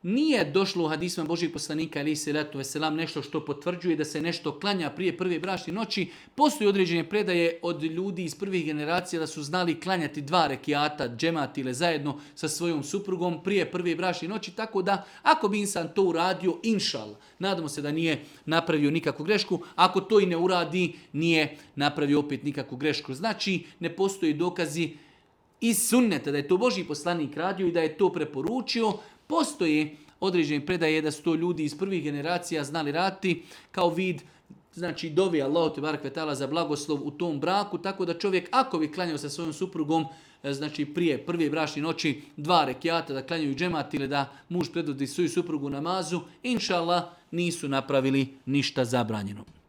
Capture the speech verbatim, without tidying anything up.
Nije došlo u hadisma Božijeg poslanika alejhi selatu vesselam nešto što potvrđuje da se nešto klanja prije prve bračne noći. Postoji određene predaje od ljudi iz prvih generacija da su znali klanjati dva rekiata, džemat ili zajedno sa svojom suprugom prije prve bračne noći, tako da ako bi insan to uradio, inšal, nadamo se da nije napravio nikakvu grešku, ako to i ne uradi, nije napravio opet nikakvu grešku. Znači, ne postoji dokazi iz sunneta da je to Božji poslanik radio i da je to preporučio. Postoje određene predaje da su to ljudi iz prvih generacija znali raditi kao vid, znači dovi Allahu te barek ve taala za blagoslov u tom braku, tako da čovjek ako bi klanjao sa svojom suprugom, znači prije prve bračne noći dva rekiata da klanjaju džemat ili da muž predvodi svoju suprugu namazu, inšallah nisu napravili ništa zabranjeno.